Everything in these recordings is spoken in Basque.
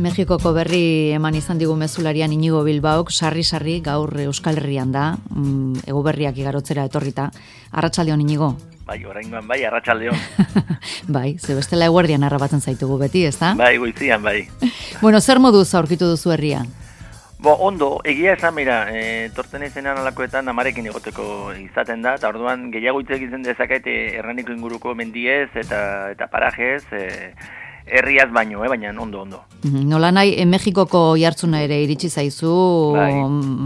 Mexikoko berri eman izan digu mezularian Inigo Bilbaok, sarri-sarri gaur Euskal Herrian da, ego berriak igarotzera etorrita. Arratsaldeon Inigo. Bai, oraingoan bai, arratsaldeon. Bai, ze bestela eguerdian arrabatzen zaitugu beti, ezta? Bai, goizian, bai. Bueno, zer moduz aurkitu duzu herria? Ondo, egia esan, mira, torten izenean alakoetan amarekin egoteko izaten da, eta orduan gehiago hitz egiten dezaket erraniko inguruko mendiez eta parajez, herriaz baino, baina ondo. Nola nahi, Mexikoko jartzuna ere iritsi zaizu, bai.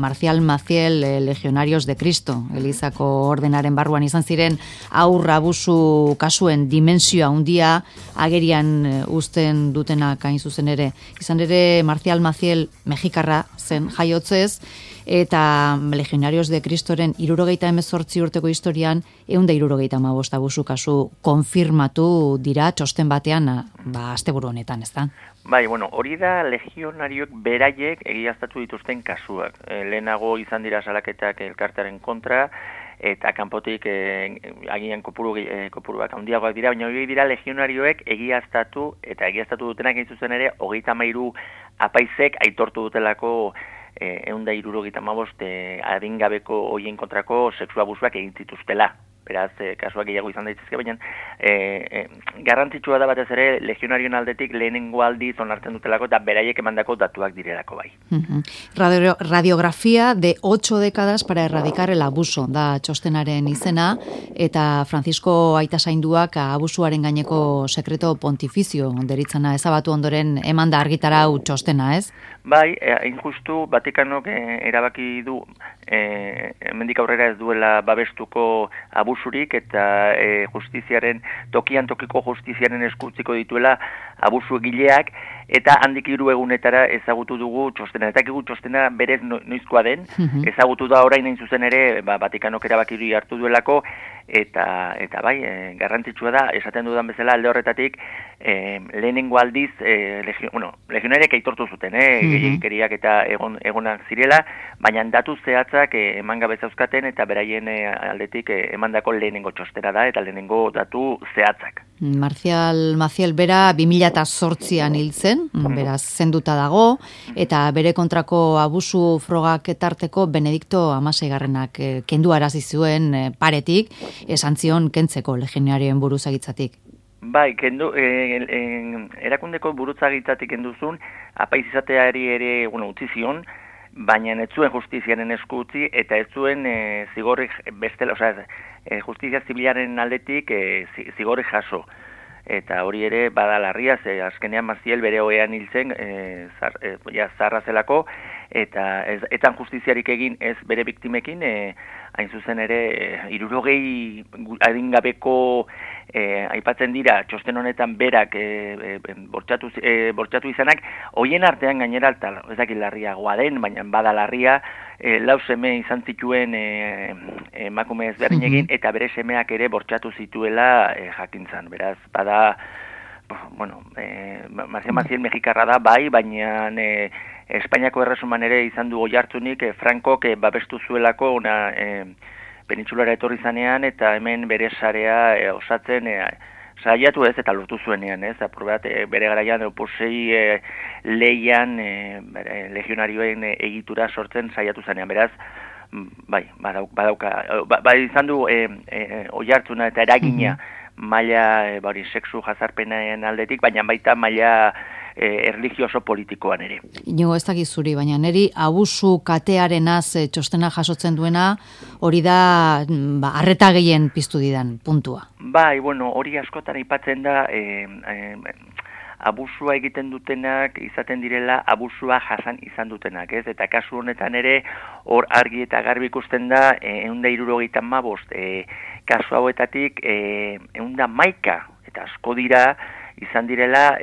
Marcial Maciel, Legionarios de Cristo, Elizako ordenaren barruan izan ziren aur abusu kasuen dimensioa handia agerian uzten dutenak hain zuzen ere. Izan ere, Marcial Maciel Mexikarra zen jaiotzez, eta Legionarios de Cristoren 78 urteko historian 175 abusu kasu konfirmatu dira txosten batean, asteburu honetan, ezta? Bai, bueno, hori da legionarioek beraiek egiaztatu dituzten kasuak. Lehenago izan dira salaketak elkartearen kontra, eta kanpotik agian kopuruak handiagoak dira, baina hori dira legionarioek egiaztatu dutenak egin zuzen ere 33 apaizek aitortu dutelako 175 adingabeko hoien kontrako sexu abusuak egin zituztela. Beraz, kasuak gehiago izan daitezke, baina garrantzitsua da batez ere legionarioen aldetik lehenengo aldiz onartzen dutelako eta beraiek emandako datuak direlako bai. Radiografía de 8 décadas para erradicar el abuso da txostenaren izena, eta Francisco Aitasainduak abusuaren gaineko sekreto pontifizio deritzana ezabatu ondoren emanda argitarau txostena, ez? Bai, injustu Vatikanok erabaki du hemendik aurrera ez duela babestuko abusurik eta justiziaren tokiko justiziaren eskutziko dituela abusu egileak, eta handik 3 egunetara ezagutu dugu txostena. Eta txostena berez noizkoa den, ezagutu da orain hain zuzen ere Vatikanok erabaki hartu duelako, eta bai, garrantzitsua da, esaten dudan bezala alde horretatik, lehenengo aldiz, legionariak aitortu zuten, gehiagikeriak eta egonak zirela, baina datu zehatzak eman gabe zauzkaten, eta beraien aldetik emandako lehenengo txostera da, eta lehenengo datu zehatzak. Marcial Maciel bera 2008an hil zen, beraz zenduta dago, eta bere kontrako abusu frogak etarteko Benedikto XVI-garrenak kendu arazi zuen paretik, esan zion kentzeko legionarioen buruzagitzatik. Bai, erakundeko buruzagitzatik kenduzun, apaiz izateari ere utzi zion, baina ez zuen justiziaren esku utzi, eta ez zuen zigorrik bestela, justizia zibilaren aldetik zigorri jaso. Eta hori ere bada larria, azkenean Maciel bere ohean hil zen, zarra zelako, eta etan justiziarik egin ez bere biktimekin, hain zuzen ere 60 adingabeko aipatzen dira txosten honetan berak bortxatu izanak, hoien artean gainera ez dakit larriagoa den, baina bada larria, 4 seme izan zituen emakume ezberdin egin, eta bere semeak ere bortxatu zituela jakintzan. Beraz, bada, Marcial Maciel Mexikarra da, bai, baina Espainiako erresuman ere izan du oihartzunik Frankok babestu zuelako penintsulara etorri zanean, eta hemen bere sarea osatzen saiatu ez, eta lortu zuenean, ez? Bere garaian opusei leian legionarioen egitura sortzen saiatu zanean. Beraz, bai, izan du oihartzuna eta eragina maila sexu jazarpenaren aldetik, baina baita maila erlijioso politikoan ere. Inigo, ez dakit zuri, baina niri abusu katearenaz txostena jasotzen duena, hori da arreta gehien piztu didan puntua. Bai, hori askotan aipatzen da, abusua egiten dutenak izaten direla abusua jasan izan dutenak, ez? Eta kasu honetan ere hor argi eta garbi ikusten da 175 kasu hauetatik 111 eta asko dira izan direla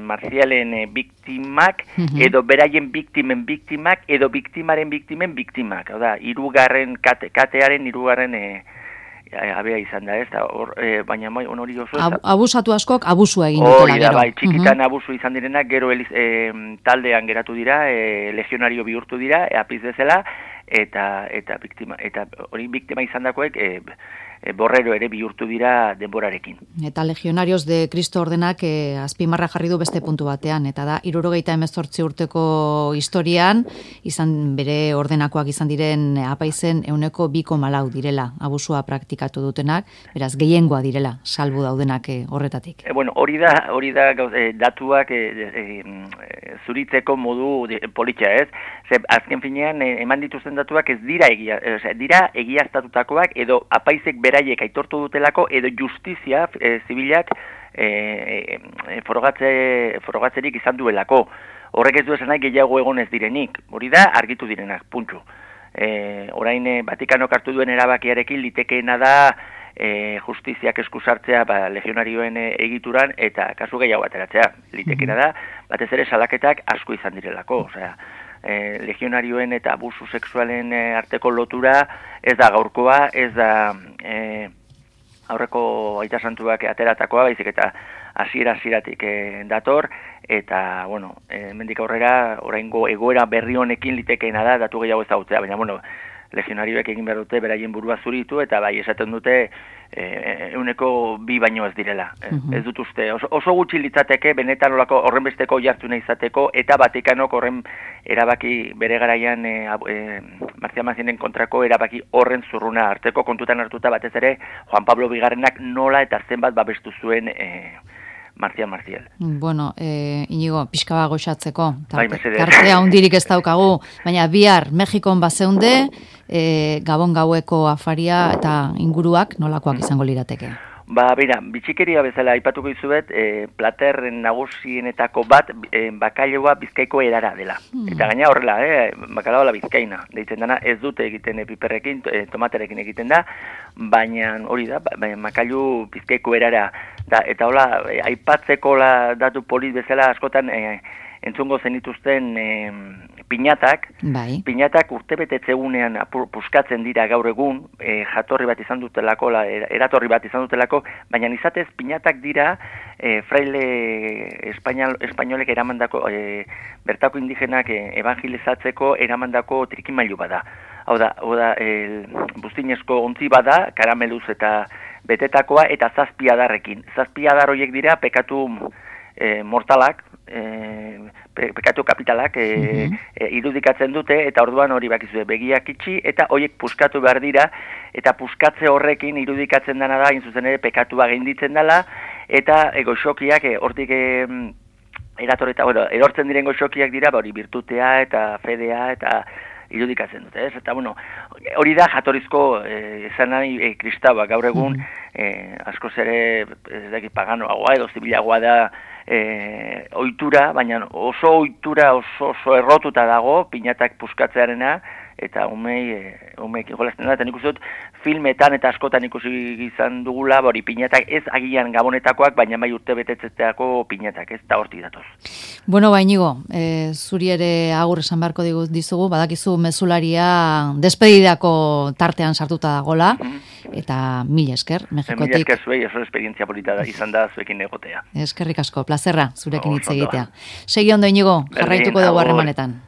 Marcialen biktimak, edo beraien biktimen biktimak, edo biktimaren biktimen biktimak. Hau da, katearen 3. abea izan da, ez? Baina hori oso... Abusatu askok abusua egin dutela gero. Bai, txikitan abusu izan direnak, gero taldean geratu dira, legionario bihurtu dira, apiz bezala, eta biktima izan dakoek borrero ere bihurtu dira denborarekin. Eta Legionarios de Cristo ordenak azpimarra jarri du beste puntu batean, eta da 78 urteko historian bere ordenakoak izan diren apaizen 2,4 direla abusua praktikatu dutenak, beraz gehiengoa direla salbu daudenak horretatik. Bueno, hori da datuak zuritzeko modu politxa, ez? Ze azken finean eman dituzten datuak ez dira dira egiaztatutakoak edo apaizek beraiek aitortu dutelako edo justizia zibilak frogatzerik izan duelako. Horrek ez du esan nahi gehiago egon ez direnik. Hori da argitu direnak, puntxu. Orain Vatikanok hartu duen erabakiarekin litekeena da justiziak eskusartzea legionarioen egituran eta kasu gehiago ateratzea. Litekeena da, batez ere salaketak asko izan direlako. Osea, legionarioen eta abusu sexualen arteko lotura ez da gaurkoa, ez da aurreko Aita Santuak ateratakoa, baizik eta hasieratik dator, eta, bueno, hemendik aurrera, oraingo egoera berri honekin litekeena da, datu gehiago ezagutzea, baina, bueno, legionarioek egin behar dute beraien burua zuritu, eta bai, esaten dute 2 baino ez direla. Ez dut uste, oso gutxi litzateke, benetan olako horrenbesteko jartu nahi izateko, eta Vatikanok horren erabaki bere garaian Marcia Macienen kontrako erabaki horren zurruna arteko kontutan hartuta batez ere Juan Pablo Bigarrenak nola eta zenbat babestu zuen Marcial. Bueno, Inigo, pixka bat goxatzeko. Tartea hundirik ez daukagu, baina bihar Mexikon bazeunde, Gabon gaueko afaria eta inguruak nolakoak izango lirateke? Bera, bitxikeria bezala aipatuko izuet, platerren nagusienetako bat bakailoa Bizkaiko erara dela. Eta gaina horrela, bakalaoa la bizkaina. Deitzen dana ez dute egiten piperrekin, tomaterekin egiten da, baina hori da, bakailu Bizkaiko erara. Eta hola, aipatzeko datu polit bezala askotan entzungo zenituzten piñatak, bai. Piñatak urtebetetzegunean puskatzen dira gaur egun, jatorri bat izan dutelako, eratorri bat izan dutelako, baina izatez piñatak dira fraile espainolek eramandako, bertako indigenak evangelizatzeko eramandako trikimailu bada. Hau da, buztinezko ontzi bada, karameluz eta betetakoa eta 7 adarrekin. 7 adar horiek dira pekatu mortalak, pekatu kapitalak irudikatzen dute, eta orduan hori bakizue begiak itxi, eta horiek puskatu behar dira, eta puskatze horrekin irudikatzen dena da, zuzen ere pekatua gainditzen dela, eta goxokiak hortik erortzen diren goxokiak dira, hori birtutea eta fedea eta irudikatzen dute, ez? Eta, bueno, hori da jatorrizko esan nahi kristaua, gaur egun askoz ere ez dakit paganoagoa edo zibilagoa da ohitura, baina oso ohitura oso errotuta dago piñatak puskatzearena, eta umeik jolasten da, eta nik uste dut filmetan eta askotan ikusi izan dugula, hori piñatak ez agian gabonetakoak, baina bai urte betetzeteako piñatak, ez da hortik datoz. Bueno, Inigo, zuri ere agur esan beharko dizugu, badakizu mezularia despedidako tartean sartuta dagola, eta mila esker, Mexikotik. Mila esker zuei, oso esperientzia polita izan da zuekin egotea. Eskerrik asko, plazerra zurekin hitz egitea. Segi ondo, Inigo, jarraituko dugu harremanetan.